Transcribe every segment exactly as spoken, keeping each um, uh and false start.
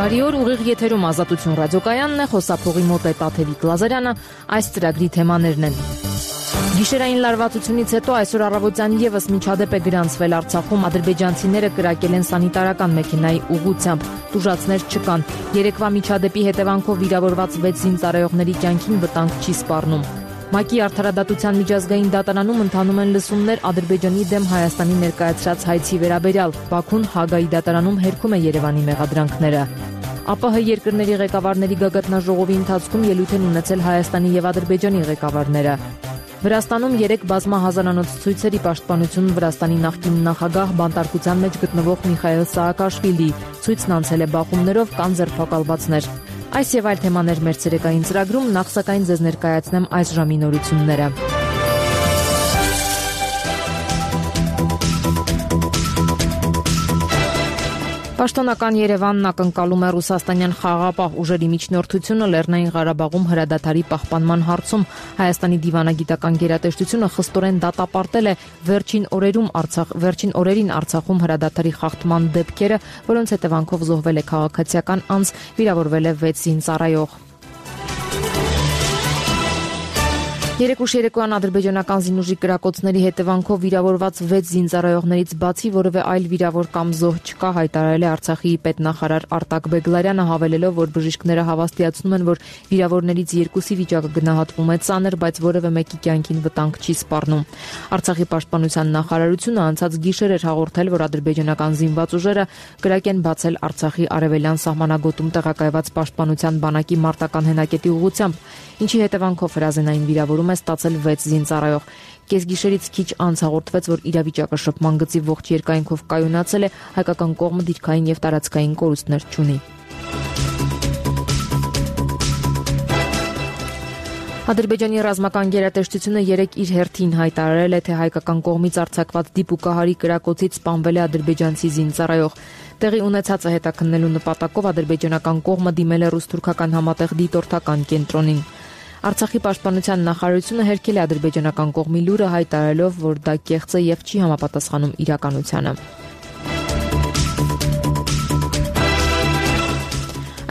Բարի օր, ուղիղ եթերում Ազատություն ռադիոկայանն է, խոսափողի մոտ է Տաթևիկ Լազարյանը, այս ծրագրի թեմաներն են։ Գիշերային լարվածությունից հետո այսօր առավոտյան եւս միջադեպ է գրանցվել Արցախում, ադրբեջանցիները կրակել են սանիտարական մեքենայի ուղղությամբ, տուժածներ չկան։ Երեկվա միջադեպի հետևանքով վիրավորված վեց զինծառայողների կյանքին վտանգ չի սպառնում։ ՄԱԿ-ի արդարադատության միջազգային դատարանում ընթանում են լսումներ Ադրբեջանի դեմ Հայաստանի ներկայացրած հայցի վերաբերյալ։ Բաքուն Հագայի դատարանում հերքում է Երևանի մեղադրանքները։ ԱՊՀ երկրների ղեկավարների գագաթնաժողովի ընթացքում ելույթ են ունեցել Հայաստանի եւ Ադրբեջանի ղեկավարները։ Վրաստանում երեք բազմահազարանոց ցույցերի պաշտպանություն Վրաստանի նախկին նախագահ բանտարկության մեջ գտնվող Միխայիլ Սաակաշվիլի ցույցն անցել է բախումներով, կան ձերբակալվածներ։ Այս եւ այլ թեմաներ մեր ցերեկային ծրագրում, նախ սակայն ձեզ ներկայացնեմ այս ժամի նորությունները։ Պաշտոնական Երևանն ակնկալում է ռուսաստանյան խաղաղապահ ուժերի միջնորդությունը Լեռնային Ղարաբաղում հրադադարի պահպանման հարցում։ Հայաստանի դիվանագիտական գերատեսչությունը խստորեն դատապարտել է վերջին օրերում Արցախ վերջին օրերին Արցախում հրադադարի խախտման դեպքերը, որոնց հետևանքով զոհվել է քաղաքացիական անձ, վիրավորվել է վեց զինծառայող։ Երեկուշ երեկոյան ադրբեջանական զինուժի կրակոցների հետևանքով վիրավորված վեց զինծառայողներից բացի որևէ այլ վիրավոր կամ զոհ չկա, հայտարարել է Արցախի պետնախարար Արտակ Բեգլարյանը, հավելելով, որ բժիշկները հավաստիացնում են, որ վիրավորներից երկուսի վիճակը գնահատվում է ծանր, բայց որևէ մեկի կյանքին վտանգ չի սպառնում։ Արցախի պաշտպանության նախարարությունը անցած գիշեր էր հաղորդել, որ ադրբեջանական զինված ուժերը կրակ են բացել Արցախի արևելյան սահմանագոտում տեղակայված պաշտպանության բանակի մարտական հենակետի ուղղությամբ, ինչի հետևանքով հրազենային վիրավորում է ստացել վեց զինծառայող։ Կեսգիշերից քիչ անց հաղորդվեց, որ իրավիճակը շփման գծի ողջ երկայնքով կայունացել է, հայկական կողմը դիրքային եւ տարածքային կորուստներ չունի։ Ադրբեջանի ռազմական գերատեսչությունը երեկ իր հերթին հայտարարել է, թե հայկական կողմից արձակված դիպուկահարի կրակոցից սպանվել է ադրբեջանցի զինծառայող։ Տեղի ունեցածը հետաքննելու նպատակով ադրբեջանական կողմը դիմել է ռուս-թուրքական համատեղ դիտորդական կենտրոնին։ Արցախի պաշտպանության նախարարությունը հերքել է ադրբեջանական կողմի լուրը, հայտարարելով, որ դա կեղծ է եւ չի համապատասխանում իրականությանը։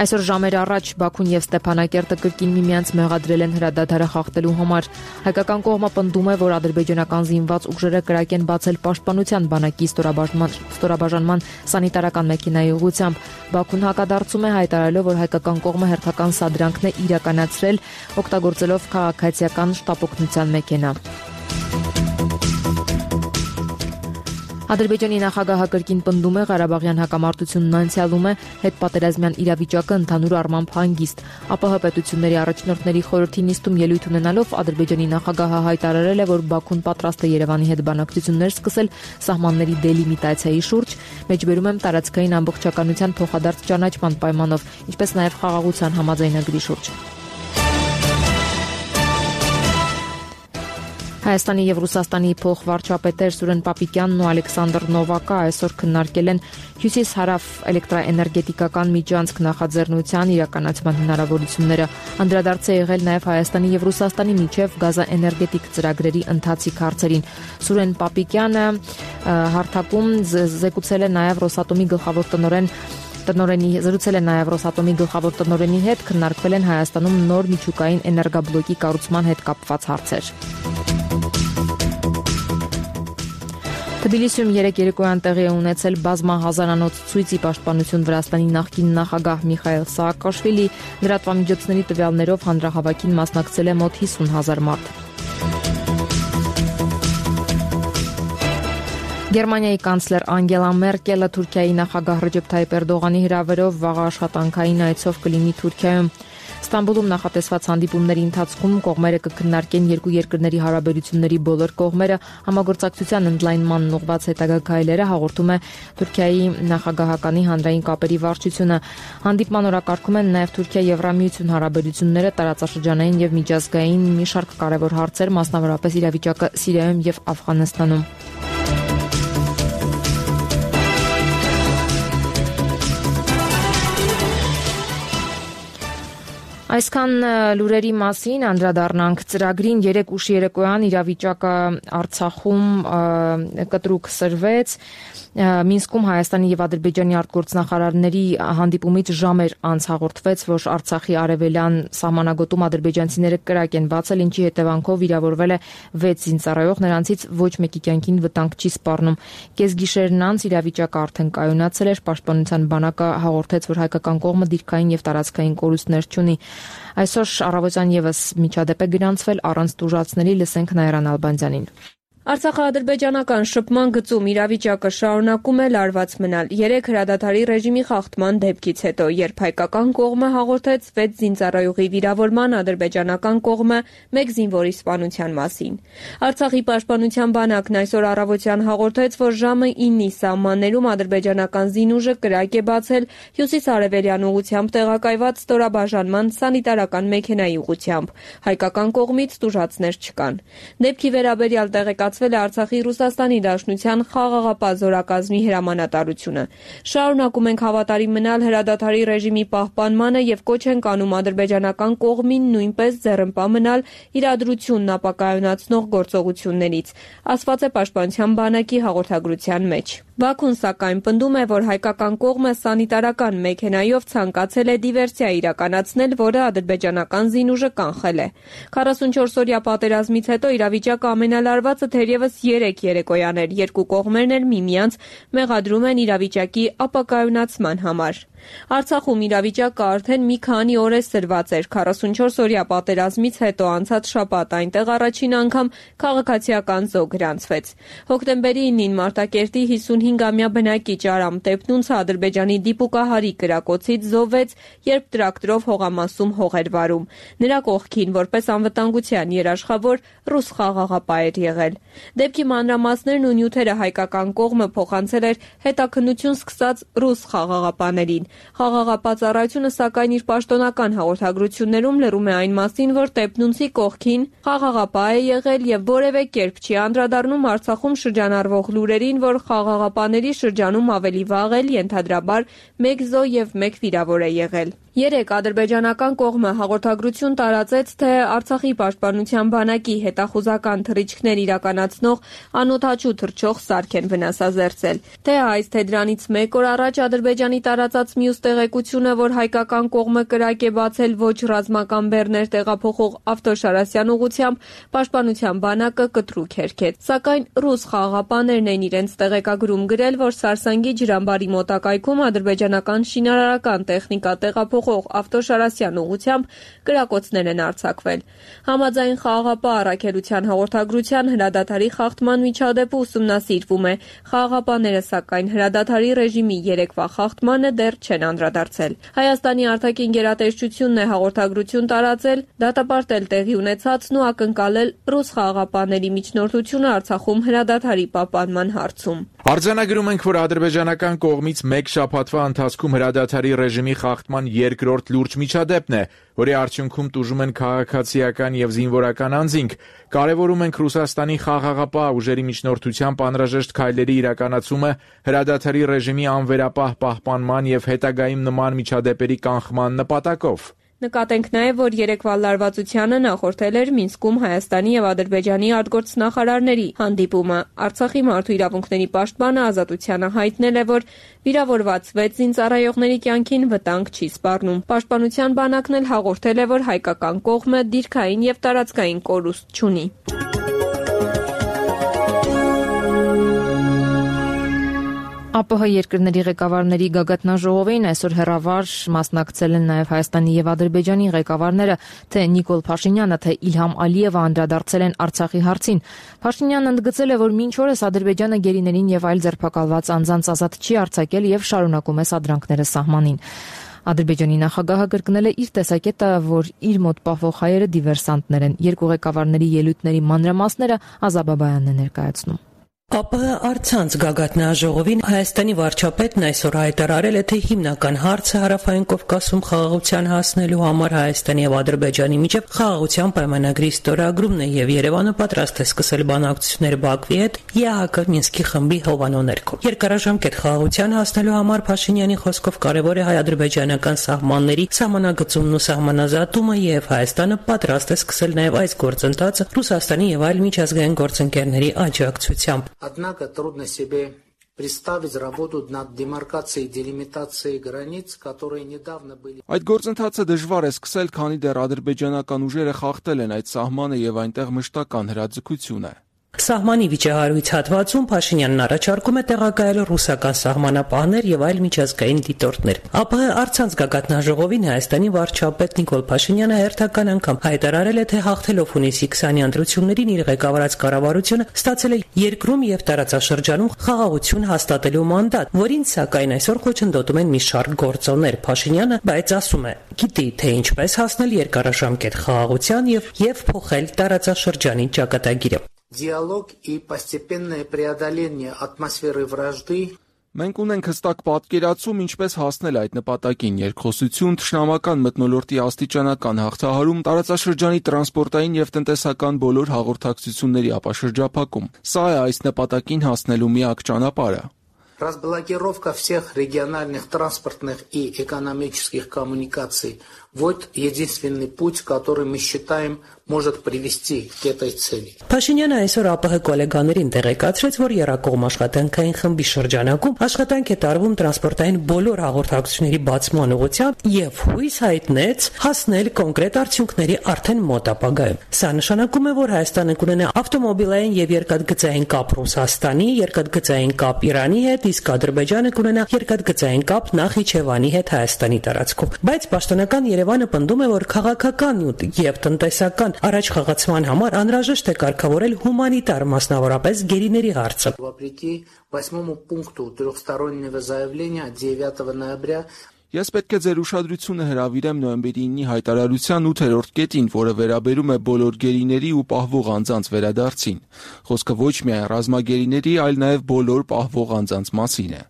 Այսօր ժամեր առաջ Բաքուն եւ Ստեփանակերտը կրկին միմյանց մեղադրել են հրադադարը խախտելու համար։ Հայկական կողմը պնդում է, որ ադրբեջանական զինված ուժերը կրակ են բացել պաշտպանության բանակի ստորաբաժանման սանիտարական մեքենայի ուղղությամբ։ Բաքուն հակադարձում է, հայտարարելով, որ հայկական կողմը հերթական սադրանքն է իրականացրել, օգտագործելով քաղաքացիական շտապօգնության մեքենա։ Ադրբեջանի նախագահը կրկին պնդում է, Ղարաբաղյան հակամարտությունն անցյալում է, հետպատերազմյան իրավիճակը ընդհանուր առմամբ հանգիստ։ ԱՊՀ պետությունների առաջնորդների խորհրդի նիստում ելույթ ունենալով Ադրբեջանի նախագահը հայտարարել է, որ Բաքուն պատրաստ է Երևանի հետ բանակցություններ սկսել սահմանների դելիմիտացիայի շուրջ, մեջբերում եմ տարածքային ամբողջականության փոխադարձ ճանաչման պայմանով, ինչպես նաև խաղաղության համաձայնագրի շուրջ։ Հայաստանի եւ Ռուսաստանի փոխվարչապետեր Սուրեն Պապիկյանն ու Ալեքսանդր Նովակը այսօր քննարկել են հյուսիս-հարավ էլեկտրաէներգետիկական միջանցք նախաձեռնության իրականացման հնարավորությունները։ Անդրադարձ է եղել նաեւ Հայաստանի եւ Ռուսաստանի միջև գազաէներգետիկ ծրագրերի ընթացիկ հարցերին։ Սուրեն Պապիկյանը հարթակում զեկուցել է նաեւ Ռոսատոմի գլխավոր տնօրեն Տնօրենի զրուցել է նաև Ռոսատոմի գլխավոր տնօրենի հետ, քննարկվել են Հայաստանում նոր միջուկային էներգաբլոկի կառուցման հետ կապված հարցեր։ Թբիլիսիում երեկ երեկոյան տեղի է ունեցել բազմահազարանոց ցույցի պաշտպանություն Վրաստանի նախկին նախագահ Միխայիլ Սաակաշվիլի, լրատվամիջոցների տվյալներով հանրահավաքին մասնակցել է մոտ հիսուն հազար մարդ։ Գերմանիայի կանցլեր Անգելա Մերկելը Թուրքիայի նախագահ Ռեջեփ Թայիպ Էրդողանի հրավերով վաղ աշխատանքային այցով կլինի Թուրքիայում։ Ստամբուլում նախատեսված հանդիպումների ընթացքում կողմերը կքննարկեն երկու երկրների հարաբերությունների բոլոր կողմերը, համագործակցության ընդլայնման ուղղված հետագա քայլերը, հաղորդում է Թուրքիայի նախագահականի հանրային կապերի վարչությունը։ Հանդիպման օրակարգում են նաև Թուրքիա-Եվրամիություն հարաբերությունները, տարածաշրջանային եւ միջազգային մի շարք կարևոր հարցեր, մասնավորապես իրավիճակը Սիրիայում եւ Աֆղանստանում։ Այսքան լուրերի մասին անդրադառնանք ծրագրին երեք ուշ երեկոյան իրավիճակը Արցախում կտրուկ սրվեց Մինսկում Հայաստանի եւ Ադրբեջանի արտգործնախարարների հանդիպումից ժամեր անց հաղորդվեց, որ Արցախի արևելյան սահմանագոտում ադրբեջանցիները կրակ են բացել, ինչի հետևանքով վիրավորվել է վեց զինծառայող, նրանցից ոչ մեկի կյանքին վտանգ չի սպառնում։ Կեսգիշերն անց իրավիճակը արդեն կայունացել էր, Պաշտպանության բանակը հաղորդեց, որ հայկական կողմը դիրքային եւ տարածքային կորուստներ չունի։ Այսօր առավոտյան եւս միջադեպ է գրանցվել առանց տուժածների, լսենք Նաիրա Նալբանդյանին։ Արցախա-ադրբեջանական շփման գծում իրավիճակը շարունակում է լարված մնալ երեք հրադադարի ռեժիմի խախտման դեպքից հետո, երբ հայկական կողմը հաղորդեց վեց զինծառայողի վիրավորման, ադրբեջանական կողմը մեկ զինվորի սպանության մասին։ Արցախի պաշտպանության բանակն այսօր առավոտյան հաղորդեց, որ ժամը իննի սահմաններում ադրբեջանական զինուժը կրակ է բացել հյուսիս-արևելյան ուղղությամբ տեղակայված ստորաբաժանման սանիտարական մեքենայի ուղղությամբ։ Հայկական կողմից տուժածներ չկան։ Դեպքի վերաբերյալ տեղեկացվել է Արցախի Ռուսաստանի Դաշնության խաղաղապահ զորակազմի հրամանատարությունը։ Շարունակում ենք հավատարիմ մնալ հրադադարի ռեժիմի պահպանմանը եւ կոչ ենք անում ադրբեջանական կողմին նույնպես ձեռնպահ մնալ իրադրությունն ապակայունացնող գործողություններից, ասված է Պաշտպանության բանակի հաղորդագրության մեջ։ Բաքուն սակայն պնդում է, որ հայկական կողմը սանիտարական մեքենայով ցանկացել է դիվերսիա իրականացնել, որը ադրբեջանական զինուժը կանխել է։ քառասունչորս օրյա պատերազմից հետո իրավիճակը ամենալարվածը թերևս երեք երեկոյան էր, երկու կողմերն էլ միմյանց մեղադրում են իրավիճակի ապակայունացման համար։ Արցախում իրավիճակը արդեն մի քանի օր է սրված էր։ քառասունչորս օրյա պատերազմից հետո անցած շաբաթ այնտեղ առաջին անգամ քաղաքացիական զոհ գրանցվեց։ Հոկտեմբերի իննին Մարտակերտի հիսունհինգամյա բնակիչ Արամ Տեփնունցը Ադրբեջանի դիպուկահարի կրակոցից զոհվեց, երբ տրակտորով հողամասում հող էր վարում։ Նրա կողքին որպես անվտանգության երաշխավոր ռուս խաղաղապահ էր եղել։ Դեպքի մանրամասներն ու նյութերը հայկական կողմը փոխանցել էր հետաքննություն սկսած ռուս խաղաղապահներին։ Խաղաղապահ ծառայությունը սակայն իր պաշտոնական հաղորդագրություններում լրում է այն մասին, որ Տեփնունցի կողքին խաղաղապահ է եղել եւ որևէ կերպ չի անդրադառնում Արցախում շրջանառվող լուրերին, որ խաղաղապահների շրջանում ավելի վաղ էլ ենթադրաբար մեկ զոհ եւ մեկ վիրավոր է եղել։ Երեք ադրբեջանական կողմը հաղորդագրություն տարածեց, թե Արցախի պաշտպանության բանակի հետախուզական թռիչքներ իրականացնող անօդաչու թռչող սարք են վնասազերծել։ Թե այս, թե դրանից մեկ օր առաջ Ադրբեջանի տարածած մյուս տեղեկությունը, որ հայկական կողմը կրակ է բացել ոչ ռազմական բեռներ տեղափոխող ավտոշարասյան ուղղությամբ, պաշտպանության բանակը կտրուկ հերքեց։ Սակայն ռուս խաղաղապահներն են իրենց տեղեկագրում գրել, որ Սարսանգի ջրամբարի մոտակայքում ադրբեջանական շինարարական տեխնիկա տեղափոխ ավտոշարասյան ուղղությամբ կրակոցներ են արձակվել։ Համաձայն խաղաղապահ առաքելության հաղորդագրության հրադադարի խախտման միջադեպը ուսումնասիրվում է։ Խաղաղապահները սակայն հրադադարի ռեժիմի երեկվա խախտմանը դեռ չեն անդրադարձել։ Հայաստանի արտաքին գերատեսչությունն է հաղորդագրություն տարածել, դատապարտել տեղի ունեցածն ու ակնկալել ռուս խաղաղապահների միջնորդությունը Արցախում հրադադարի պահպանման հարցում։ Արձանագրում ենք, որ ադրբեջանական կողմից մեկ շաբաթվա ընթացքում հրադադարի ռեժիմի խախտման երկրորդ լուրջ միջադեպն է, որի արդյունքում տուժում են քաղաքացիական եւ զինվորական անձինք։ Կարևորում ենք Ռուսաստանի խաղաղապահ ուժերի միջնորդությամբ անհրաժեշտ քայլերի իրականացումը հրադադարի ռեժիմի անվերապահ պահպանման եւ հետագայում նման միջադեպերի կանխման նպատակով։ Նկատենք նաև, որ երեկվա լարվածությանը նախորդել էր Մինսկում Հայաստանի եւ Ադրբեջանի արտգործնախարարների հանդիպումը։ Արցախի մարդու իրավունքների պաշտպանը Ազատությանը հայտնել է, որ վիրավորված վեց զինծառայողների կյանքին վտանգ չի սպառնում։ Պաշտպանության բանակն էլ հաղորդել է, որ հայկական կողմը դիրքային եւ տարածքային կորուստ չունի։ ԱՊՀ երկրների ղեկավարների գագաթնաժողովին այսօր հեռավար մասնակցել են նաև Հայաստանի եւ Ադրբեջանի ղեկավարները, թե Նիկոլ Փաշինյանը, թե Իլհամ Ալիևը անդրադարձել են Արցախի հարցին։ Փաշինյանն ընդգծել է, որ մինչ օրս Ադրբեջանը գերիներին եւ այլ ձերբակալված անձանց ազատ չի արձակել եւ շարունակում է սադրանքները սահմանին։ Ադրբեջանի նախագահը կրկնել է իր տեսակետը, որ իր մոտ պահվող հայերը դիվերսանտներ են։ Երկու ղեկավարների ելույթների մանրամասները Ազատ Բաբայանն է ներկայացնում։ ԱՊՀ առցանց գագաթնաժողովին Հայաստանի վարչապետն այսօր հայտարարել է, թե հիմնական հարցը Հարավային Կովկասում խաղաղության հասնելու համար Հայաստանի եւ Ադրբեջանի միջև խաղաղության պայմանագրի ստորագրումն է եւ Երևանը պատրաստ է սկսել բանակցություններ Բաքվի հետ ԵԱՀԿ Մինսկի խմբի հովանու ներքո։ Երկարաժամկետ խաղաղության հասնելու համար Փաշինյանի խոսքով կարևոր է հայ-ադրբեջանական սահմանների սահմանագծումն ու սահմանազատումը եւ Հայաստանը պատրաստ է սկսել նաեւ այս գործընթացը Ռուսաստանի եւ այլ միջազգային գործընկերների աջակցությամբ։ Однако трудно себе представить работу над демаркацией, делимитацией границ, которые недавно были. Այդ գործընթացը դժվար է սկսել, քանի դեռ ադրբեջանական ուժերը խախտել են այդ սահմանը եւ այնտեղ մշտական հրաձգություն է։ Սահմանի վիճահարույց հատվածում Փաշինյանն առաջարկում է տեղակայել ռուսական սահմանապահներ եւ այլ միջազգային դիտորդներ։ ԱՊՀ առցանց գագաթնաժողովին Հայաստանի վարչապետ Նիկոլ Փաշինյանը հերթական անգամ հայտարարել է, թե հաղթելով հունիսի քսանի ընտրություններին իր ղեկավարած կառավարությունը ստացել է երկրում եւ տարածաշրջանում խաղաղություն հաստատելու մանդատ, որին սակայն այսօր խոչընդոտում են մի շարք գործոններ։ Փաշինյանը բայց ասում է, գիտի, թե ինչպես հասնել երկարաժամկետ խաղաղության եւ եւ փոխել տարածաշրջանի ճակատագիրը։ Диалог и постепенное преодоление атмосферы вражды. Մենք ունենք հստակ պատկերացում ինչպես հասնել այդ նպատակին՝ երկխոսություն, թշնամական մթնոլորտի աստիճանական հաղթահարում, տարածաշրջանի տրանսպորտային եւ տնտեսական բոլոր հաղորդակցությունների ապաշրջափակում։ Սա է այս նպատակին հասնելու միակ ճանապարհը։ Разблокировка всех региональных транспортных и экономических коммуникаций – вот единственный путь, который мы считаем может привести к этой цели. Փաշինյանը այսօր ԱՊՀ գոլեգաներին տեղեկացրեց, որ Եռակողմ աշխատանքային խմբի շրջանակում աշխատանք է տարվում տրանսպորտային բոլոր հաղորդակցությունների բացման ուղղությամբ եւ հույս հայտնեց հասնել կոնկրետ արդյունքների արդեն մոտ ապագայում։ Սա նշանակում է, որ Հայաստանը կունենա ավտոմոբիլային եւ երկաթգծային կապ Ռուսաստանի, երկաթգծային կապ Իրանի հետ, իսկ Ադրբեջանը կունենա երկաթգծային կապ Նախիջևանի հետ Հայաստանի տարածքում։ Բայց պաշտոնական Երևանը պնդում է, որ քաղաքական նյութ եւ տնտեսական առաջ խաղացման համար անհրաժեշտ է կարգավորել հումանիտար, մասնավորապես գերիների հարցը։ Вопреки восьмому пункту трехстороннего заявления девятого ноября Ես պետք է ձեր ուշադրությունը հրավիրեմ նոյեմբերի ինի հայտարարության ութերորդ կետին, որը վերաբերում է բոլոր գերիների ու պահվող անձանց վերադարձին։ Խոսքը ոչ միայն ռազմագերիների, այլ նաև բոլոր պահվող անձանց մասին է։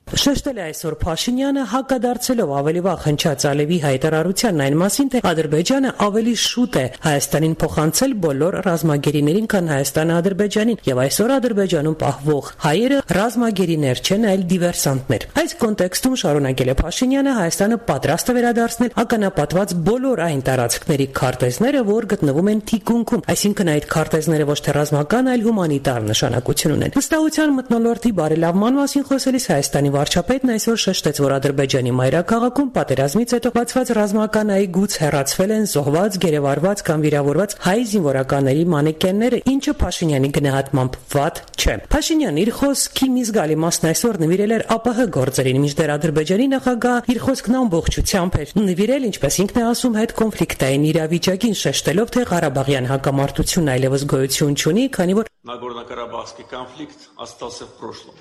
Շեշտել է այսօր Փաշինյանը, հակադարձելով ավելի վաղ հնչած Ալիևի հայտարարությանն այն մասին, թե Ադրբեջանը ավելի շուտ է Հայաստանին փոխանցել բոլոր ռազմագերիներին, քան Հայաստանը Ադրբեջանին, եւ այսօր Ադրբեջանում պահվող հայերը ռազմագերիներ չեն, այլ դիվերսանտներ։ Այս կոնտեքստում շարունակել է Փաշինյանը, Հայաստանը պատրաստ է վերադարձնել ականապատված բոլոր այն տարածքների քարտեզները, որ գտնվում են թիկունքում, այսինքն այդ քարտեզները ոչ թե ռազմական, այլ հումանիտար նշանակություն ունեն։ Վստահության մթնոլորտի բարելավման մասին խոսելիս Հայաստանի վարչապետն այսօր շեշտեց, որ Ադրբեջանի մայրաքաղաքում պատերազմից հետո բացված ռազմական այգուց հեռացվել են զոհված, գերեվարված կամ վիրավորված հայ զինվորականների մանեկենները, ինչը Փաշինյանի գնահատմամբ վատ չէ։ Փաշինյանն իր խոսքի մի զգալի մասն այսօր նվիրել էր ԱՊՀ գործերին, մինչդեռ Ադրբեջանի նախագահ իր խոսքն ամբողջությամբ էր նվիրել, ինչպես ինքն է ասում, հետ կոնֆլիկտային իրավիճակին, շեշտելով, թե Ղարաբաղյան հակամարտությունն այլևս գոյություն չունի, քանի որ Նագորնո-Կարաբախский конфликт остался в прошлом.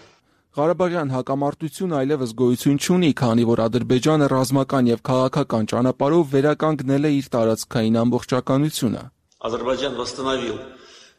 Ղարաբաղյան հակամարտությունը այլևս գոյություն չունի, քանի որ Ադրբեջանը ռազմական եւ քաղաքական ճանապարհով վերականգնել է իր տարածքային ամբողջականությունը։ Ադրբեջան восстановил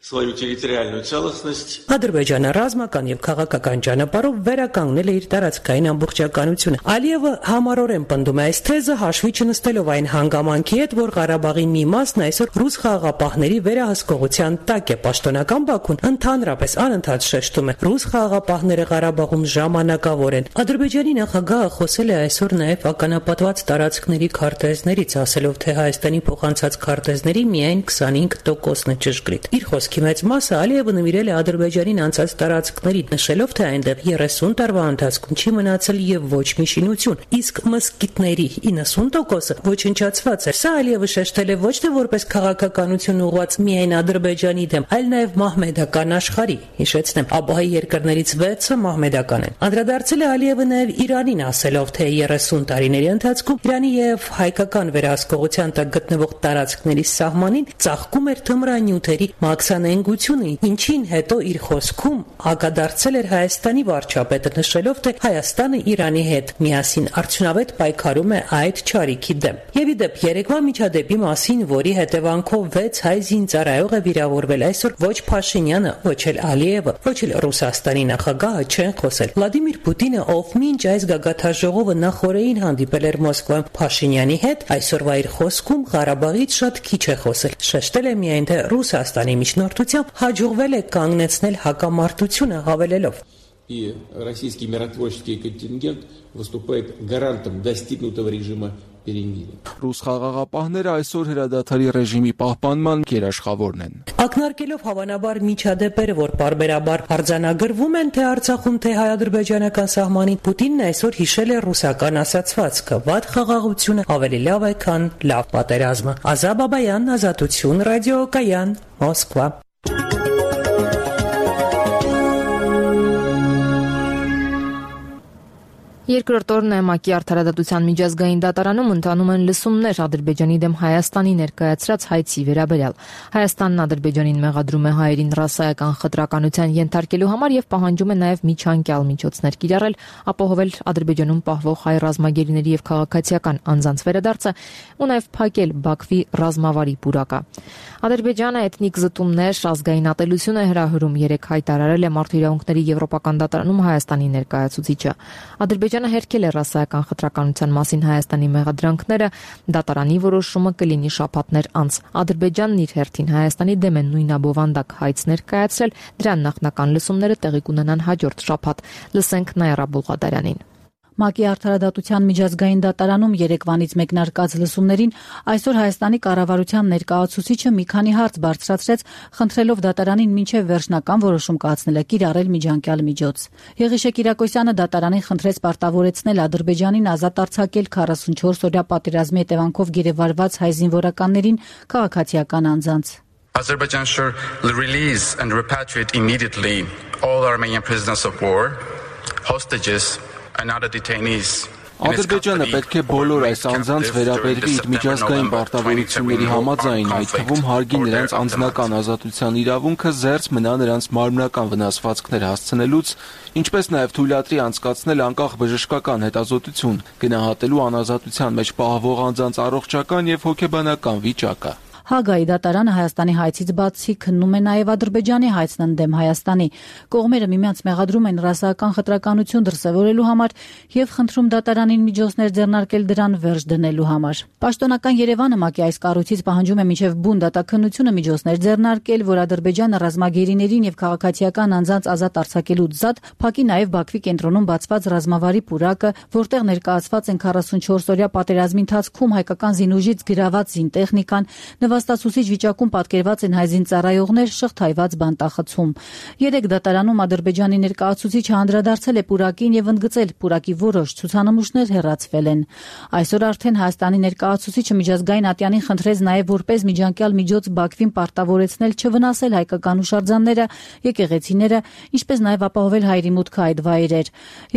свою территориальную целостность. Ադրբեջանը ռազմական եւ քաղաքական ճանապարհով վերականգնել է իր տարածքային ամբողջականությունը։ Ալիևը համառորեն պնդում է այս թեզը, հաշվի չնստելով այն հանգամանքի հետ, որ Ղարաբաղի մի մասն այսօր ռուս խաղաղապահների վերահսկողության տակ է։ Պաշտոնական Բաքուն ընդհանրապես անընդհատ շեշտում է, ռուս խաղաղապահները Ղարաբաղում ժամանակավոր են։ Ադրբեջանի նախագահը խոսել է այսօր նաեւ ականապատված տարածքների քարտեզներից, ասելով, թե Հայաստանի փոխանցած քարտեզների միայն քսանհինգ տոկոսն է ճշգրիտ։ Իր խոսքի մեծ մասը Ալիևը նվիրել է Ադրբեջանին անցած տարածքներին, նշելով, թե այնտեղ երեսուն տարվա ընթացքում չի մնացել եւ ոչ մի շինություն, իսկ մզկիթների իննսուն տոկոսը ոչնչացված է։ Սա Ալիևը շեշտել է ոչ թե որպես քաղաքականություն ուղղված միայն Ադրբեջանի դեմ, այլ նաեւ մահմեդական աշխարհի։ Հիշեցնեմ, ԱՊՀ երկրներից վեցը մահմեդական են։ Անդրադարձել է Ալիևը նաեւ Իրանին, ասելով, թե երեսուն տարիների ընթացքում Իրանի եւ հայկական վերահսկողության տակ գտնվող տարածքների սահմանին ծաղկում էր թմրանյութերի մաքսանենգությունը, ինչին հետո իր խոսքում հակադարձել էր Հայաստանի վարչապետը, նշելով, թե Հայաստանը Իրանի հետ միասին արդյունավետ պայքարում է այդ չարիքի դեմ։ Եվ ի դեպ երեկվա միջադեպի մասին, որի հետևանքով վեց հայ զինծառայող է վիրավորվել, այսօր ոչ Փաշինյանը, ոչ էլ Ալիևը, ոչ էլ Ռուսաստանի նախագահը չեն խոսել։ Վլադիմիր Պուտինը, ով մինչ այս գագաթաժողովը նախորդին հանդիպել էր Մոսկվայում Փաշինյանի հետ, այսօրվա իր խոսքում Ղարաբաղից շատ քիչ է խոսել։ Շեշտել է միայն, թե Ռուսաստանի միջնորդությամբ հաջողվել է կանգնեցնել հակամարտությունը, հավելելով. И российский миротворческий контингент выступает гарантом достигнутого режима перемирия. Ռուս խաղաղապահները այսօր հրադադարի ռեժիմի պահպանման գերաշխավորն են։ Ակնարկելով հավանաբար միջադեպերը, որ բարբերաբար արձանագրվում են թե Արցախում, թե հայ-ադրբեջանական սահմանին, Պուտինն այսօր հիշել է ռուսական ասացվածքը՝ վատ խաղաղությունը ավելի լավ է, քան լավ պատերազմը։ Ազա Բաբայան, Ազատություն, ռադիոկայան, Մոսկվա։ Երկրորդ օրն է ՄԱԿ-ի արդարադատության միջազգային դատարանում ընթանում են լսումներ Ադրբեջանի դեմ Հայաստանի ներկայացրած հայցի վերաբերյալ։ Հայաստանն Ադրբեջանին մեղադրում է հայերին ռասայական խտրականության ենթարկելու համար եւ պահանջում է նաեւ միջանկյալ միջոցներ կիրառել, ապահովել Ադրբեջանում պահվող հայ ռազմագերիների եւ քաղաքացիական անձանց վերադարձը ու նաեւ փակել Բաքվի ռազմավարի պուրակը։ Ադրբեջանը էթնիկ զտումներ, ազգային ատելություն է հրահրում, երեք հայտարարել է Մարդու իրավունքների եվրոպական դատարանում Հայաստանի ներկայացուցիչը։ Ադրբեջանը հերքել է ռասայական խտրականության մասին Հայաստանի մեղադրանքները, դատարանի որոշումը կլինի շաբաթներ անց։ Ադրբեջանն իր հերթին Հայաստանի դեմ է նույնաբովանդակ հայց ներկայացրել, դրան նախնական լսումները տեղի կունենան հաջորդ շաբաթ։ Լսենք Նայրա Բուլղադարյանին։ ՄԱԿ-ի արդարադատության միջազգային դատարանում երեկվանից մեկնարկած լսումներին այսօր Հայաստանի կառավարության ներկայացուցիչը մի քանի հարց բարձրացրեց, խնդրելով դատարանին մինչև վերջնական որոշում կայացնելը կիրառել միջանկյալ միջոց։ Եղիշե Կիրակոսյանը դատարանին խնդրեց պարտավորեցնել Ադրբեջանին ազատ արձակել քառասունչորս օրյա պատերազմի հետևանքով գերեվարված հայ զինվորականներին, քաղաքացիական անձանց։ Azerbaijan should release and repatriate immediately all Armenian prisoners of war, hostages and other detainees. Ադրբեջանը պետք է բոլոր այս անձանց վերաբերվի իր միջազգային պարտավորությունների համաձայն, այդ թվում հարգի նրանց անձնական ազատության իրավունքը, զերծ մնա նրանց մարմնական վնասվածքներ հասցնելուց, ինչպես նաև թույլատրի անցկացնել անկախ բժշկական հետազոտություն, գնահատելու անազատության մեջ պահվող անձանց առողջական եւ հոգեբանական վիճակը։ Հագայի դատարանը Հայաստանի հայցից բացի քննում է նաև Ադրբեջանի հայցն ընդդեմ Հայաստանի։ Կողմերը միմյանց մեղադրում են ռասայական խտրականություն դրսևորելու համար եւ խնդրում դատարանին միջոցներ ձեռնարկել դրան վերջ դնելու համար։ Պաշտոնական Երևանը ՄԱԿ-ի այս կառույցից պահանջում է մինչև բուն դատաքննությունը միջոցներ ձեռնարկել, որ Ադրբեջանը ռազմագերիներին եւ քաղաքացիական անձանց ազատ արձակելուց զատ փակի նաև Բաքվի կենտրոնում բացված ռազմավարի պուրակը, որտեղ ներկայացված են քառասունչորս օրյա պատերազմի ընթացքում հայկական զինուժից գրաված զինտեխնիկան, նվաստացուցիչ վիճակում պատկերված են հայ զինծառայողներ, շղթայված բանտախցում։ Երեք դատարանում Ադրբեջանի ներկայացուցիչը անդրադարձել է պուրակին եւ ընդգծել, պուրակի որոշ ցուցանմուշներ հեռացվել են։ Այսօր արդեն Հայաստանի ներկայացուցիչը միջազգային ատյանին խնդրեց նաեւ որպես միջանկյալ միջոց Բաքվին պարտավորեցնել չվնասել հայկական հուշարձանները, եկեղեցիները, ինչպես նաեւ ապահովել հայերի մուտքը այդ վայրեր։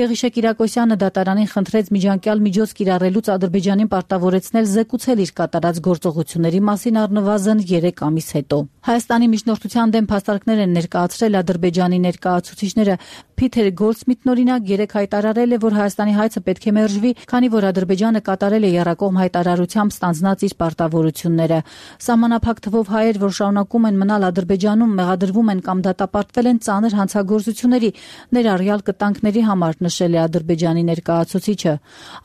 Եղիշե Կիրակոսյանը դատարանին խնդրեց միջանկյալ միջոց կիրառելուց Ադրբեջանին պարտավորեցնել զեկուցել իր կատարած գործողությունների մասին առնվազն երեք ամիս հետո։ Հայաստանի միջնորդության դեմ փաստարկներ են ներկայացրել Ադրբեջանի ներկայացուցիչները։ Փիթեր Գոլդսմիթն օրինակ երեք հայտարարել է, որ Հայաստանի հայցը պետք է մերժվի, քանի որ Ադրբեջանը կատարել է եռակողմ հայտարարությամբ ստանձնած իր պարտավորությունները։ Սահմանափակ թվով հայեր, որ շարունակում են մնալ Ադրբեջանում, մեղադրվում են կամ դատապարտվել են ծանր հանցագործությունների, ներառյալ կտանքների համար, նշել է Ադրբեջանի ներկայացուցիչը։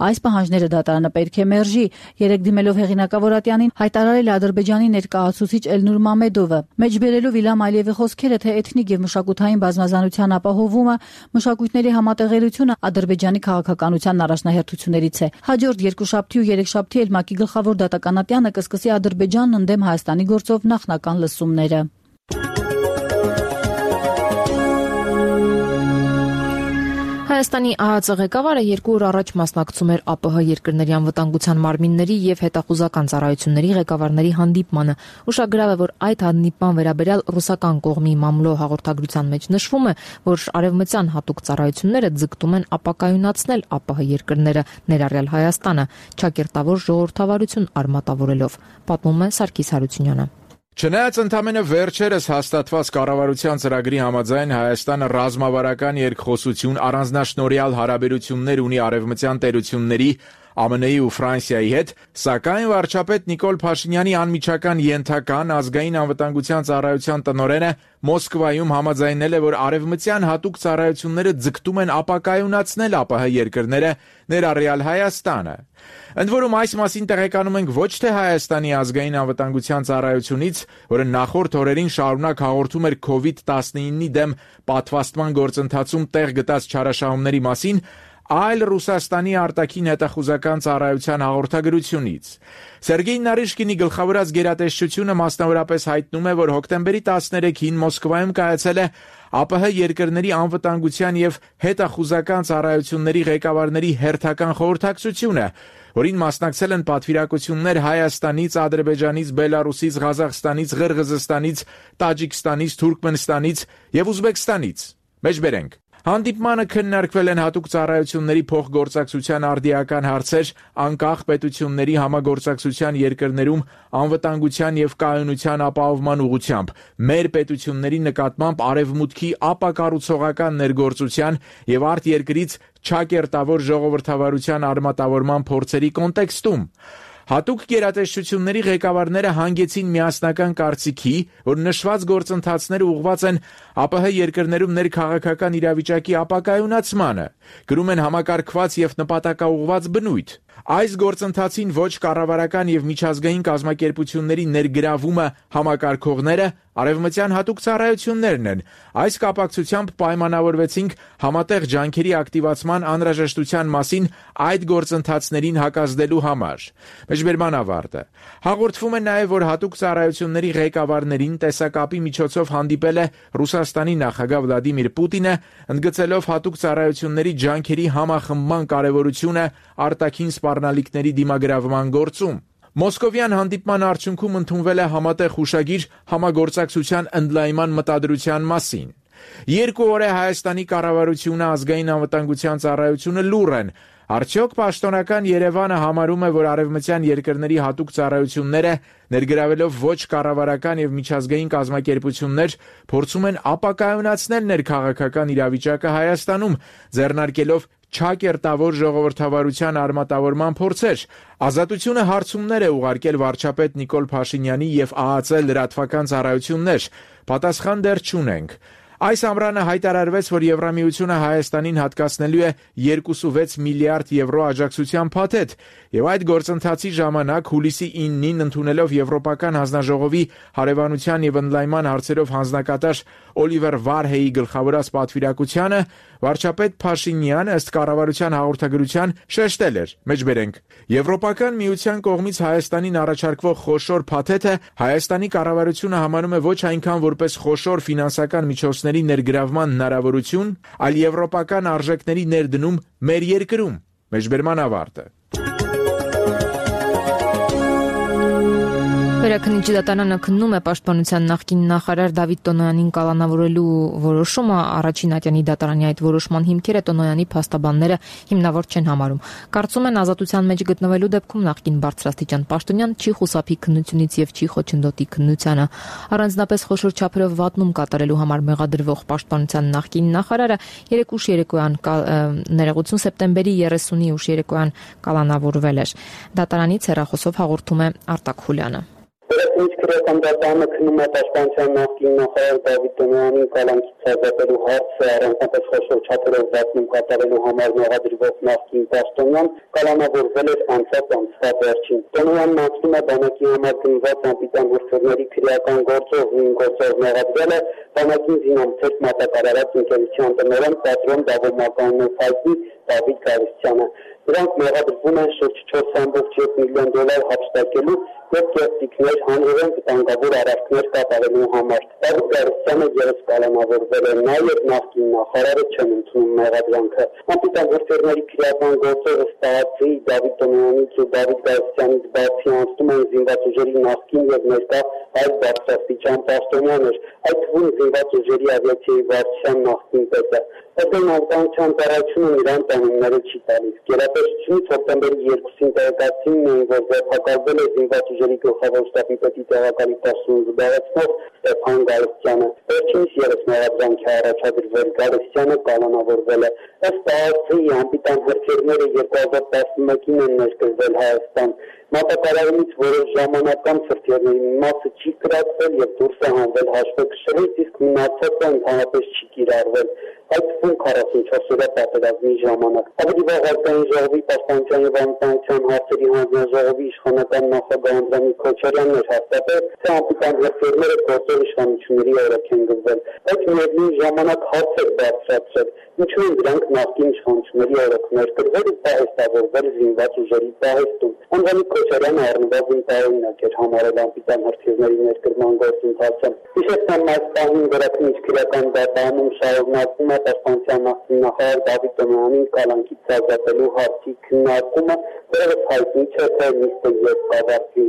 Այս պահանջները դատարանը պետք է մերժի։ Երեք դիմելով հեղինակավոր ատյանին հայտարարել է Ադրբեջանի ներկայացուցիչ Էլնուր Մամեդովը, մեջբերելով Իլհամ Ալիևի խոսքերը, թե էթնիկ եւ մշակութային բազմազանության ապահովումը, մշակույթների համատեղելությունը Ադրբեջանի քաղաքականության առաջնահերթություններից է։ Հաջորդ երկուշաբթի ու երեքշաբթի էլ ՄԱԿ-ի գլխավոր դատականատյանը կսկսի Ադրբեջանն ընդդեմ Հայաստանի գործով նախնական լսումները։ Հայաստանի ԱԱԾ ղեկավարը երկու օր առաջ մասնակցում էր ԱՊՀ երկրների անվտանգության մարմինների եւ հետախուզական ծառայությունների ղեկավարների հանդիպմանը։ Ուշագրավ է, որ այդ հանդիպման վերաբերյալ ռուսական կողմի մամլո հաղորդագրության մեջ նշվում է, որ արևմտյան հատուկ ծառայությունները ձգտում են ապակայունացնել ԱՊՀ երկրները, ներառյալ Հայաստանը, ճակերտավոր ժողովրդավարություն արմատավորելով, պատմում է Սարգիս Հարությունյանը։ Չնայած ընդամենը վերջերս հաստատված կառավարության ծրագրի համաձայն Հայաստանը ռազմավարական երկխոսություն, առանձնաշնորհյալ հարաբերություններ ունի արևմտյան տերությունների, Ա Մ Ն-ի ու Ֆրանսիայի հետ, սակայն վարչապետ Նիկոլ Փաշինյանի անմիջական ենթական ազգային անվտանգության ծառայության տնօրենը Մոսկվայում համաձայնել է, որ արևմտյան հատուկ ծառայությունները ձգտում են ապակայունացնել ԱՊՀ երկրները, ներառյալ Հայաստանը։ Ընդ որում այս մասին տեղեկանում ենք ոչ թե Հայաստանի ազգային անվտանգության ծառայությունից, որը նախորդ օրերին շարունակ հաղորդում էր քովիդ տասնինի դեմ պատվաստման գործընթացում տեղ գտած չարաշահումների մասին, այլ Ռուսաստանի արտաքին հետախուզական ծառայության հաղորդագրությունից։ Սերգեյ Նարիշկինի գլխավորած գերատեսչությունը մասնավորապես հայտնում է, որ հոկտեմբերի տասներեքին Մոսկվայում կայացել է ԱՊՀ երկրների անվտանգության եւ հետախուզական ծառայությունների ղեկավարների հերթական խորհրդակցությունը, որին մասնակցել են պատվիրակություններ Հայաստանից, Ադրբեջանից, Բելարուսից, Ղազախստանից, Ղրղզստանից, Տաջիկստանից, Թուրքմենստանից եւ Ուզբեկստանից։ Մեջբերենք Հանդիպմանը քննարկվել են հատուկ ծառայությունների փոխգործակցության արդիական հարցեր, անկախ պետությունների համագործակցության երկրներում անվտանգության եւ կայունության ապահովման ուղղությամբ, մեր պետությունների նկատմամբ արևմուտքի ապակառուցողական ներգործության եւ արտերկրից չակերտավոր ժողովրդավարության արմատավորման փորձերի կոնտեքստում։ Հատուկ գերատեսչությունների ղեկավարները հանգեցին միասնական կարծիքի, որ նշված գործընթացները ուղղված են ԱՊՀ երկրներում ներքաղաքական իրավիճակի ապակայունացմանը, գրում են համակարգված եւ նպատակաուղղված բնույթ։ Այս գործընթացին ոչ կառավարական եւ միջազգային կազմակերպությունների ներգրավումը համակարգողները արևմտյան հատուկ ծառայություններն են։ Այս կապակցությամբ պայմանավորվեցինք համատեղ ջանքերի ակտիվացման անհրաժեշտության մասին այդ գործընթացներին հակազդելու համար։ Մեջբերման ավարտը։ Հաղորդվում է նաև, որ հատուկ ծառայությունների ղեկավարներին տեսակապի միջոցով հանդիպել է Ռուսաստանի նախագահ Վլադիմիր Պուտինը, ընդգծելով հատուկ ծառայությունների ջանքերի համախմբման կարևորությունը արտաքին սպառնալիքների դիմագրավման գործում։ Մոսկովյան հանդիպման արդյունքում ընդունվել է համատեղ հուշագիր համագործակցության ընդլայնման մտադրության մասին։ Երկու օր է Հայաստանի կառավարությունը, ազգային անվտանգության ծառայությունը լուռ են։ Արդյոք պաշտոնական Երևանը համարում է, որ արևմտյան երկրների հատուկ ծառայությունները, ներգրավելով ոչ կառավարական եւ միջազգային կազմակերպություններ, փորձում են ապակայունացնել ներքաղաքական իրավիճակը Հայաստանում, ձեռնարկելով չակերտավոր ժողովրդավարության արմատավորման փորձեր։ Ազատությունը հարցումներ է ուղարկել վարչապետ Նիկոլ Փաշինյանի եւ ԱԱԾ լրատվական ծառայություններ։ Պատասխան դեռ չունենք։ Այս ամռանը հայտարարվեց, որ Եվրամիությունը Հայաստանին հատկացնելու է երկու վեց միլիարդ եվրո աջակցության փաթեթ, եւ այդ գործընթացի ժամանակ հուլիսի իննին ընդունելով Եվրոպական հանձնաժողովի հարևանության եւ ընդլայնման հարցերով հանձնակատար Օլիվեր Վարհեի գլխավորած պատվիրակությանը, վարչապետ Փաշինյանը ըստ կառավարության հաղորդագրության շեշտել էր. Մեջբերենք Եվրոպական միության կողմից Հայաստանին առաջարկվող խոշոր փաթեթը Հայաստանի կառավարությունը համարում է ոչ այնքան որպես խոշոր ֆինանսական միջոցներ ներգրավման հնարավորություն, այլ եվրոպական արժեքների ներդնում մեր երկրում։ Մեջբերման ավարտը։ Վերաքննիչի դատարանը քննում է պաշտպանության նախկին նախարար Դավիթ Տոնոյանին կալանավորելու որոշումը, առաջին ատյանի դատարանի այդ որոշման հիմքերը Տոնոյանի փաստաբանները հիմնավոր չեն համարում։ Կարծում են ազատության մեջ գտնվելու դեպքում նախկին բարձրաստիճան պաշտոնյան չի խուսափի քննությունից եւ չի խոչընդոտի քննությանը։ Առանձնապես խոշոր չափերով վատնում կատարելու համար մեղադրվող պաշտպանության նախկին նախարարը երեկ ուշ երեկոյան ներողություն սեպտեմբերի երեսունի ուշ երեկոյան կալանավորվել էր։ Դատարանից հեռախոսով հաղորդում է Արտակ Խուլյանը։ Ինչ քրեական դատարանը քննում է պաշտպանության նախկին նախարար Դավիթ Տոնոյանին կալանքից ազատելու հարցը, առանձնապես խոշոր չափերով վատնում կատարելու համար մեղադրվող նախկին պաշտոնյան կալանավորվել էր անցած ամսվա վերջին։ Տոնոյանն անցնում է բանակի համար գնված անպիտան հրցողների քրեական գործով, նույն գործով մեղադրել է բանակին զինամթերք մատակարարած ընկերության տնօրեն պատրոն Դավոմականով հայտնի Դավիթ Գարստյանը։ Նրանք մեղադրվում են շուրջ չորս կόμμα յոթ միլիոն դոլար հափշտակելու եւ կերտիկներ հանրային վտանգավոր արարքներ կատարելու համար։ Դավիթ Գարստյանը ևս կալանավորվել է, նաեւ նախկին նախարարը չեն ընդունում մեղադրանքը։ Անպիտան հրթիռների քրեական գործով ըստահացի Դավիթ Տոնոյանից ու Դավիթ Գարստյանից բացի անցնում են զինված ուժերի նախկին եւ ներկա այլ բարձրաստիճան պաշտոնյաներ, այդ թվում զինված ուժերի ավիացիայի վարչության նախկին պետը։ Այդտեղ անվտանգության ծառայությունը նրան տանումները չի տալիս։ Գերատեսչությունից հոկտեմբերի երկուսին տեղեկացին, որ ձերբակալվել է զինված ուժերի գլխավոր շտաբի պետի տեղակալի պաշտոն զբաղեցնող Ստեփան Գալստյանը։ Վերջինիս ևս մեղադրանք է առաջադրվել, Գալստյանը կանոնավորվել է։ Ըստ ԱԱՑ-ի անպիտան հրթիռները երկու հազար տասնմեկին են ներկրվել Հայաստան։ Մատակարարումից որոշ ժամանակ անց հրթիռների մի մասը չի կրակվել եւ դուրս է հանվել հաշվեկշռից, իսկ մնացածը ընդհանրապես չի կիրառվել։ Այդ թվում քառասունչորս օրյա պատերազմի ժամանակ։ Ավելի վաղ Ազգային ժողովի պաշտպանության եւ անվտանգության հարցերի հանձնաժողովի իշխանական նախագահ Անդրանիկ Քոչարյանն էր հաստատել, թե անպիտան հրթիռները գործող իշխանությունների օրոք են գծվել, բայց միևնույն ժամանակ հարց էր բարձրացրել, ինչու են դրանք նախկին իշխանությունների օրոք ներկրվել ու պահեստավորվել զինված ուժերի պահեստում։ Անդրանիկ Քոչարյանը առնվազն տարօրինակ էր համարել անպիտան հրթիռների ներկրման գործընթացը։ Հիշեցնեմ, այս պահին Վերաքննիչ քրեական դատարանում շարունակվում է պաշտպանության նախկին նախարար Դավիթ Տոնյանին կալանքից ազատելու հարցի քննարկումը, որը հայտնի չէ, թե նիստը երբ կավարտվի։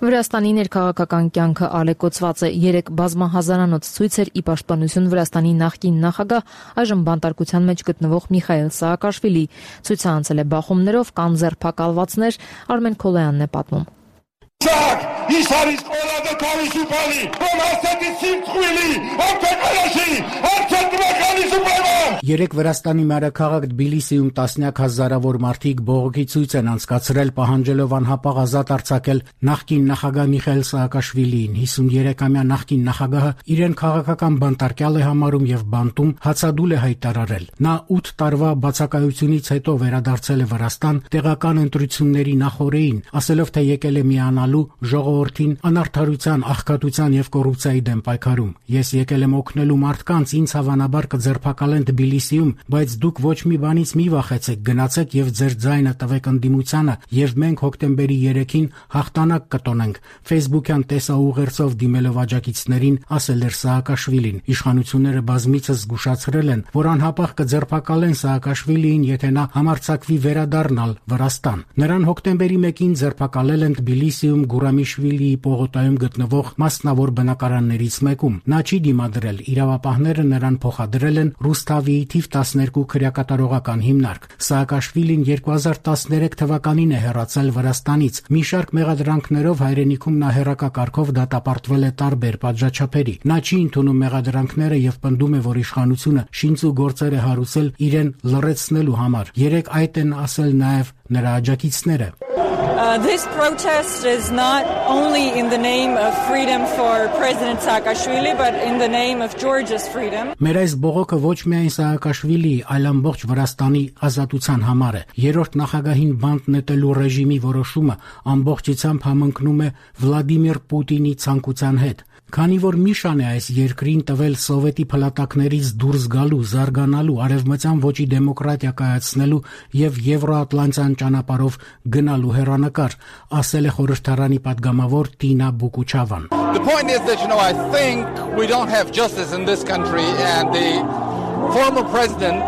Վրաստանի ներքաղաքական կյանքը ալեկոծված է։ Երեք բազմահազարանոց ցույց էր ի պաշտպանություն Վրաստանի նախկին նախագահ, այժմ բանտարկության մեջ գտնվող Միխայիլ Սաակաշվիլի։ Ցույցը անցել է բախումներով, կան ձերբակալվածներ, Արմեն Քոլոյանն է պատմում։ Երեք Վրաստանի մայրաքաղաք Թբիլիսիում տասնյակ հազարավոր մարդիկ բողոքի ցույց են անցկացրել, պահանջելով անհապաղ ազատ արձակել նախկին նախագահ Միխայիլ Սաակաշվիլիին։ հիսուններեքամյա նախկին նախագահը իրեն քաղաքական բանտարկյալ է համարում եւ բանտում հացադուլ է հայտարարել։ Նա ութ տարվա բացակայությունից հետո վերադարձել է Վրաստան տեղական ընտրությունների նախօրեին, ասելով, թե եկել է միանալու ժողովրդին անարդարության, աղքատության եւ կոռուպցիայի դեմ պայքարում։ Ես եկել եմ օգնելու մարդկանց, ինձ հավանաբար կձերբակալեն Թբիլիսիում, բայց դուք ոչ մի բանից մի վախեցեք, գնացեք եւ ձեր ձայնը տվեք ընդդիմությանը եւ մենք հոկտեմբերի երեքին հաղթանակ կտոնենք։ Facebook-յան տեսաուղերձով դիմելով աջակիցներին ասել էր Սաակաշվիլին։ Իշխանությունները բազմիցս զգուշացրել են, որ անհապաղ կձերբակալեն Սաակաշվիլիին, եթե նա համարձակվի վերադառնալ Վրաստան։ Նրան հոկտեմբերի մեկին ձերբակալել են Թբիլիսիում Գուրամիշվիլիի պողոտայում գտնվող մասնավոր բնակարաններից մեկում։ Նա չի դիմադրել, իրավապահները նրան փոխադրել են Ռուսթավիի թիվ տասներկու քրեակատարողական հիմնարկ։ Սաակաշվիլին երկու հազար տասներեք թվականին է հեռացել Վրաստանից։ Մի շարք մեղադրանքներով հայրենիքում նա հեռակակարգով դատապարտվել է տարբեր պատժաչափերի։ Նա չի ընդունում մեղադրանքները եւ պնդում է, որ իշխանությունը շինծու գործեր է հարուցել իրեն լռեցնելու համար։ Երեք այդ են ասել նաեւ նրա աջակիցները։ Uh, this protest is not only in the name of freedom for President Saakashvili, but in the name of Georgia's freedom. Մեր այս բողոքը ոչ միայն Սաակաշվիլիի, այլ ամբողջ Վրաստանի ազատության համար է։ Երրորդ նախագահին բանտ նետելու ռեժիմի որոշումը ամբողջությամբ համընկնում է Վլադիմիր Պուտինի ցանկության հետ։ Քանի որ Միշան է այս երկրին տվել սովետի փլատակներից դուրս գալու, զարգանալու, արևմտյան ոճի դեմոկրատիա կայացնելու եւ Եվրոատլանտյան ճանապարհով գնալու հեռանկար, ասել է խորհրդարանի падգամավոր Տինա Բուկուչավան։ The point is that you know I think we don't have justice in this country and the former president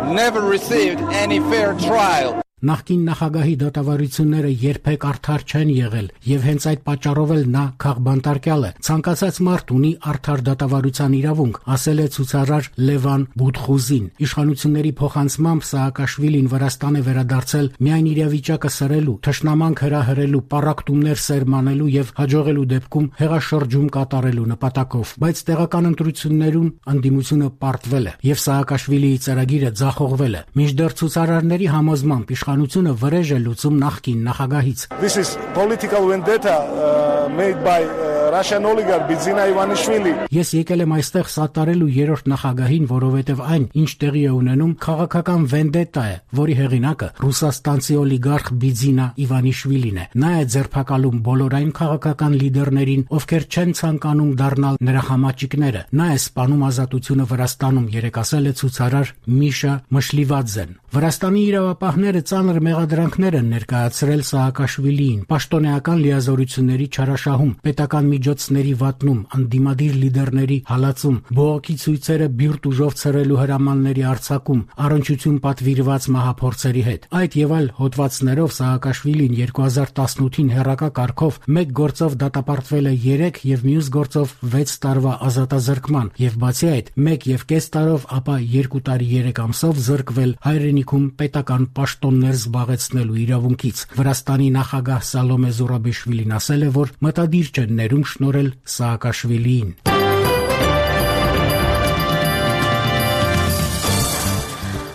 never received any fair trial. Նախկին նախագահի դատավարությունները երբեք արդար չեն եղել եւ հենց այդ պատճառով էլ նա քաղբանտարկյալ է։ Ցանկացած մարդ ունի արդար դատավարության իրավունք, ասել է ցուցարար Լևան Բուդխուզին։ Իշխանությունների փոխանցմամբ Սաակաշվիլին Վրաստան է վերադարձել միայն իրավիճակը սրելու, թշնամանք հրահրելու, պառակտումներ սերմանելու եւ հաջողելու դեպքում հեղաշրջում կատարելու նպատակով։ Բայց տեղական ընտրություններում ընդդիմությունը պարտվել է եւ Սաակաշվիլիի ծրագիրը ձախողվել է։ Մինչդեռ ցուցարարների համոզմամբ իշխանությունը վրեժ է լուծում նախկին նախագահից։ This is political vendetta uh, made by uh, Russian oligarch Bidzina Ivanishvili. Ես եկել եմ այստեղ սատարելու երրորդ նախագահին, որովհետև այն, ինչ տեղի է ունենում, քաղաքական վենդետա է, որի հեղինակը ռուսաստանցի օլիգարխ Բիձինա Իվանիշվիլին է։ Նա է ձերբակալում բոլոր այն քաղաքական լիդերներին, ովքեր չեն ցանկանում դառնալ նրա համաճիկները։ Նա է սպանում ազատությունը Վրաստանում, երեք ասել է ցուցարար Միշա Մշլիվաձեն։ Վրաստանի իրավապահները ծանր մեղադրանքներ են ներկայացրել Սաակաշվիլիին, պաշտոնեական լիազորությունների չարաշահում, պետական միջոցների վատնում, անդիմադիր լիդերների հալածում, բողոքի ցույցերը բիրտ ուժով ցրելու հրամանների արձակում, առնչություն պատվիրված մահափորձերի հետ։ Այդ եւ այլ հոդվածներով Սաակաշվիլին երկու հազար տասնութին հերակա կարգով մեկ գործով դատապարտվել է երեք եւ մյուս գործով վեց տարվա ազատազրկման եւ բացի այդ մեկ եւ կես տարով ապա երկու տարի երեք ամսով զրկվել հայրենիքում պետական պաշտոններ զբաղեցնելու իրավունքից։ Վրաստանի նախագահ Սալոմե Զուրաբիշվիլին ասել է, որ մտադիր չէ ներում շնորհել Սաակաշվիլիին։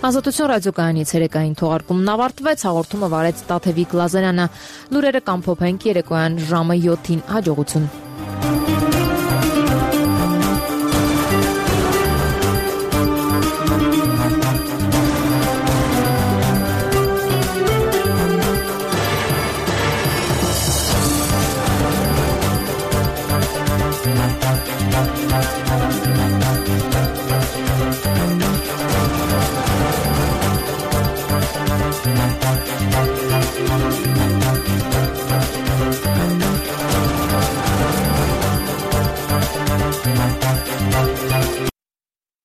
Ազատություն ռադիոկայանի ցերեկային թողարկումն ավարտվեց, հաղորդումը վարեց Տաթևիկ Լազարյանը։ Լուրերը կամփոփենք երեկոյան ժամը յոթին։ Հաջողություն։